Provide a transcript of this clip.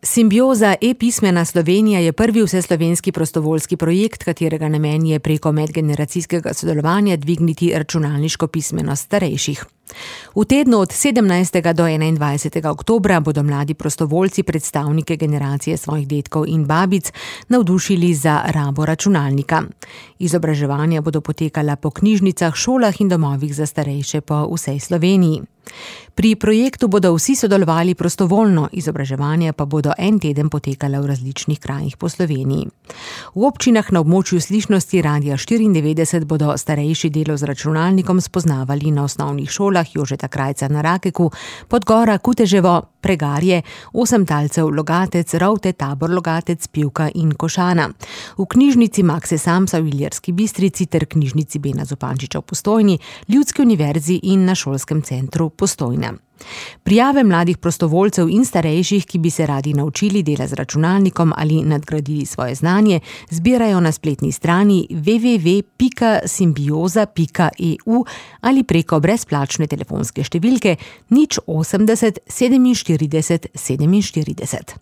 Simbioza e-pismena Slovenija je prvi vseslovenski prostovoljski projekt, katerega namen je preko medgeneracijskega sodelovanja dvigniti računalniško pismenost starejših. V tednu od 17. do 21. oktobra bodo mladi prostovoljci predstavnike generacije svojih dedkov in babic navdušili za rabo računalnika. Izobraževanja bodo potekala po knjižnicah, šolah in domovih za starejše po vsej Sloveniji. Pri projektu bodo vsi sodelovali prostovoljno, izobraževanja pa bodo en teden potekala v različnih krajih po Sloveniji. V občinah na območju slišnosti Radia 94 bodo starejši delo z računalnikom spoznavali na osnovnih šolah Jožeta Krajca na Rakeku, Podgora, Kuteževo, Pregarje, Osemtalcev, Logatec, Rovte, Tabor, Logatec, Pivka in Košana. V knjižnici Makse Samsa v Ilirski Bistrici ter knjižnici Bena Zupančiča v Postojni, Ljudski univerzi in na šolskem centru Postojna. Prijave mladih prostovoljcev in starejših, ki bi se radi naučili dela z računalnikom ali nadgradili svoje znanje, zbirajo na spletni strani www.simbioza.eu ali preko brezplačne telefonske številke 080 47 47.